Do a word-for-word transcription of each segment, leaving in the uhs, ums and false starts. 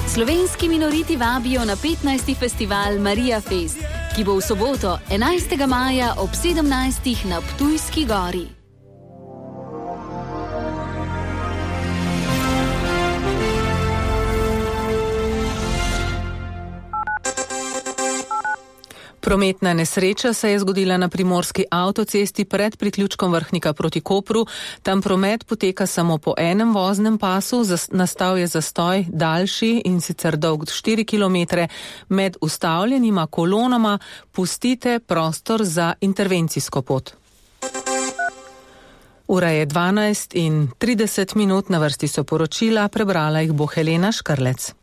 Slovenski minoriti vabijo na petnajsti festival Marija Fest, ki bo v soboto enajstega maja ob sedemnajstih na Ptujski gori. Prometna nesreča se je zgodila na primorski avtocesti pred priključkom Vrhnika proti Kopru. Tam promet poteka samo po enem voznem pasu, nastal je zastoj daljši in sicer dolg štiri kilometre. Med ustavljenima kolonama pustite prostor za intervencijsko pot. Ura je dvanajst in trideset minut, na vrsti so poročila, prebrala jih bo Helena Škrlec.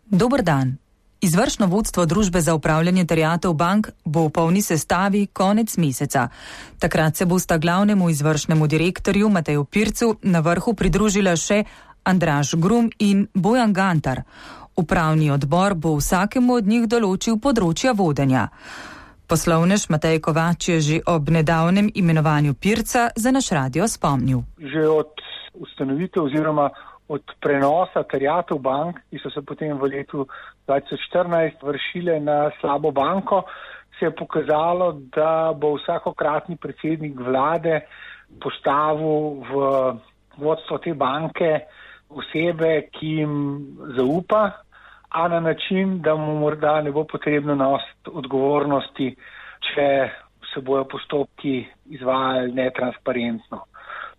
Dober dan. Izvršno vodstvo družbe za upravljanje terjatev bank bo v polni sestavi konec meseca. Takrat se bosta glavnemu izvršnemu direktorju Mateju Pircu na vrhu pridružila še Andraž Grum in Bojan Gantar. Upravni odbor bo vsakemu od njih določil področja vodenja. Poslovnež Matej Kovač je že ob nedavnem imenovanju Pirca za naš radio spomnil. Že od ustanovitev oziroma od prenosa terjatev bank, ki so se potem v letu dva tisoč štirinajst vršile na slabo banko, se je pokazalo, da bo vsakokratni predsednik vlade postavil v vodstvo te banke osebe, ki jim zaupa, a na način, da mu morda ne bo potrebno nositi odgovornosti, če se bojo postopki izvajali netransparentno.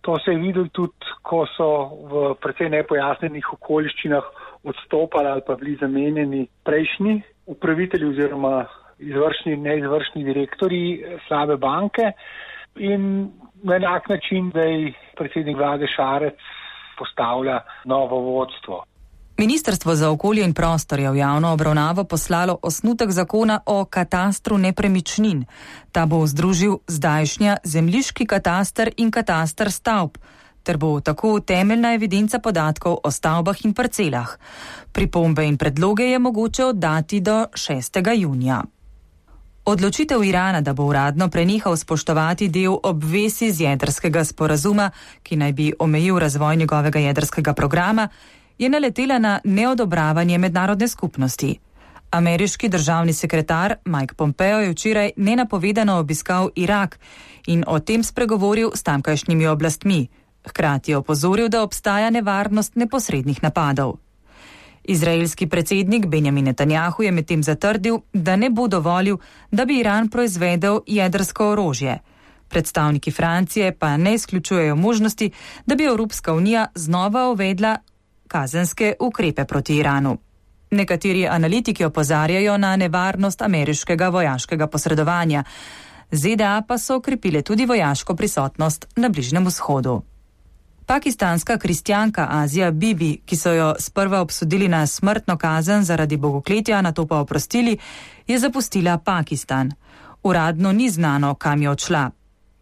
To se je videlo tudi, ko so v precej nepojasnenih okoliščinah odstopali ali pa bili zamenjeni prejšnji upravitelji oziroma izvršni in neizvršni direktorji slabe banke in na enak način, da je predsednik vlade Šarec postavlja novo vodstvo. Ministrstvo za okolje in prostor je v javno obravnavo poslalo osnutek zakona o katastru nepremičnin. Ta bo združil zdajšnja zemljiški kataster in kataster stavb, ter bo tako temeljna evidenca podatkov o stavbah in parcelah. Pripombe in predloge je mogoče oddati do šestega junija. Odločitev Irana, da bo uradno prenehal spoštovati del obvez iz jedrskega sporazuma, ki naj bi omejil razvoj njegovega jedrskega programa, je naletela na neodobravanje mednarodne skupnosti. Ameriški državni sekretar Mike Pompeo je včeraj nenapovedano obiskal Irak in o tem spregovoril s tamkajšnjimi oblastmi. Hkrati je opozoril, da obstaja nevarnost neposrednih napadov. Izraelski predsednik Benjamin Netanjahu je medtem zatrdil, da ne bo dovolil, da bi Iran proizvedel jedrsko orožje. Predstavniki Francije pa ne izključujejo možnosti, da bi Evropska unija znova uvedla kazenske ukrepe proti Iranu. Nekateri analitiki opozarjajo na nevarnost ameriškega vojaškega posredovanja. Z D A pa so okrepile tudi vojaško prisotnost na Bližnjem vzhodu. Pakistanska kristjanka Azija Bibi, ki so jo sprva obsodili na smrtno kazen zaradi bogokletja, nato pa oprostili, je zapustila Pakistan. Uradno ni znano, kam je odšla.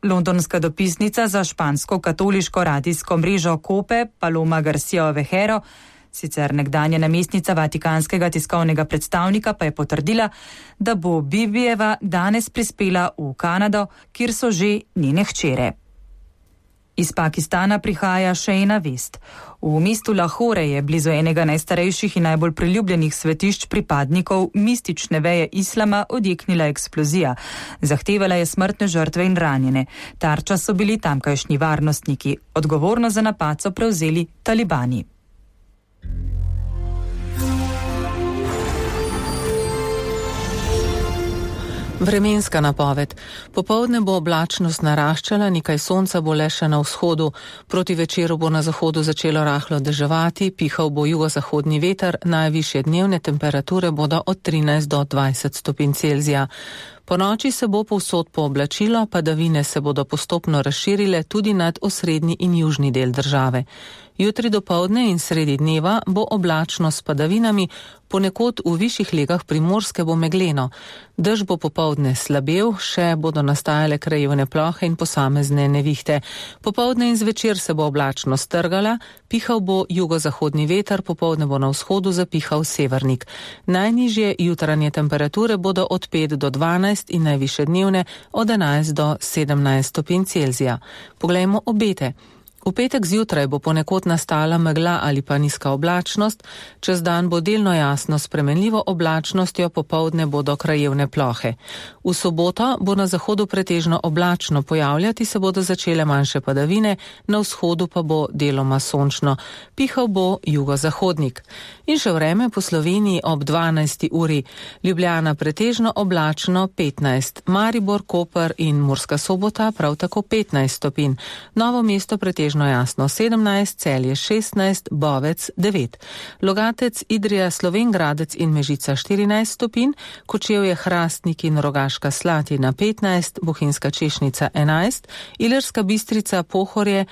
Londonska dopisnica za špansko katoliško radijsko mrežo Kope, Paloma Garcia Ovejero, sicer nekdanja namestnica vatikanskega tiskovnega predstavnika, pa je potrdila, da bo Bibijeva danes prispela v Kanado, kjer so že njene hčere. Iz Pakistana prihaja še ena vest. V mestu Lahore je blizu enega najstarejših in najbolj priljubljenih svetišč pripadnikov mistične veje islama odjeknila eksplozija. Zahtevala je smrtne žrtve in ranjene. Tarča so bili tamkajšnji varnostniki. Odgovornost za napad so prevzeli talibani. Vremenska napoved. Popoldne bo oblačnost naraščala, nekaj sonca bo le še na vzhodu. Proti večeru bo na zahodu začelo rahlo deževati, pihal bo jugozahodni veter, najvišje dnevne temperature bodo od trinajst do dvajset stopinj Celzija. Po noči se bo povsod pooblačilo, padavine se bodo postopno razširile tudi nad osrednji in južni del države. Jutri dopoldne in sredi dneva bo oblačno s padavinami, ponekod v višjih legah Primorske bo megleno. Dež bo popoldne slabel, še bodo nastajale krajevne plohe in posamezne nevihte. Popoldne in zvečer se bo oblačno strgala, pihal bo jugozahodni veter, popoldne bo na vzhodu zapihal severnik. Najnižje jutranje temperature bodo od pet do dvanajst in najvišje dnevne od enajst do sedemnajst stopinj Celzija. Poglejmo obete. V petek zjutraj bo ponekod nastala megla ali pa nizka oblačnost, čez dan bo delno jasno s spremenljivo oblačnostjo, popoldne bodo krajevne plohe. V soboto bo na zahodu pretežno oblačno, pojavljati se bodo začele manjše padavine, na vzhodu pa bo deloma sončno. Pihal bo jugozahodnik. In še vreme po Sloveniji ob dvanajsti uri. Ljubljana pretežno oblačno petnajst, Maribor, Koper in Murska Sobota prav tako petnajst stopinj. Novo mesto pretežno jasno sedemnajst, Celje šestnajst, Bovec devet. Logatec, Idrija, Slovenj Gradec in Mežica štirinajst stopinj, Kočevje, Hrastnik in Rogaška Slatina petnajst, Bohinjska Češnica enajst, Ilirska Bistrica, Pohorje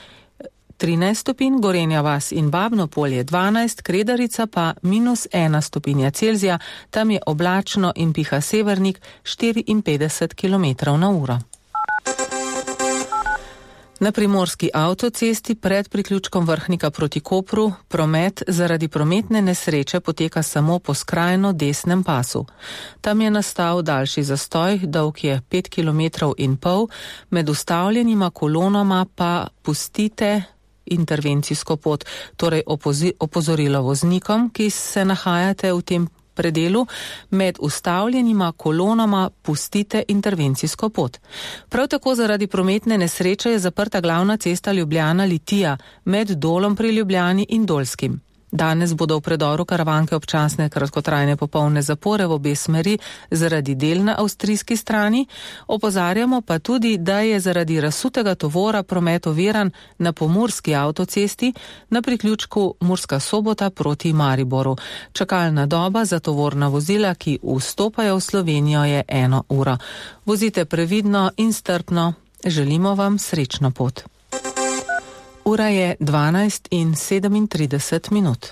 trinajst stopinj, Gorenja vas in Babno Polje dvanajst, Kredarica pa minus ena stopinja Celzija, tam je oblačno in piha severnik štiriinpetdeset kilometrov na uro. Na primorski avtocesti pred priključkom Vrhnika proti Kopru promet zaradi prometne nesreče poteka samo po skrajno desnem pasu. Tam je nastal daljši zastoj, dolg je pet kilometrov in pol, med ustavljenima kolonama pa pustite intervencijsko pot, torej opozi, opozorilo voznikom, ki se nahajate v tem predelu, med ustavljenima kolonama pustite intervencijsko pot. Prav tako zaradi prometne nesreče je zaprta glavna cesta Ljubljana-Litija med Dolom pri Ljubljani in Dolskim. Danes bodo v predoru Karavanke občasne kratkotrajne popolne zapore v obe smeri zaradi del na avstrijski strani. Opozarjamo pa tudi, da je zaradi razsutega tovora promet oviran na pomurski avtocesti na priključku Murska Sobota proti Mariboru. Čakalna doba za tovorna vozila, ki vstopajo v Slovenijo, je eno uro. Vozite previdno in strpno. Želimo vam srečno pot. Ura je dvanajst in sedemintrideset minut.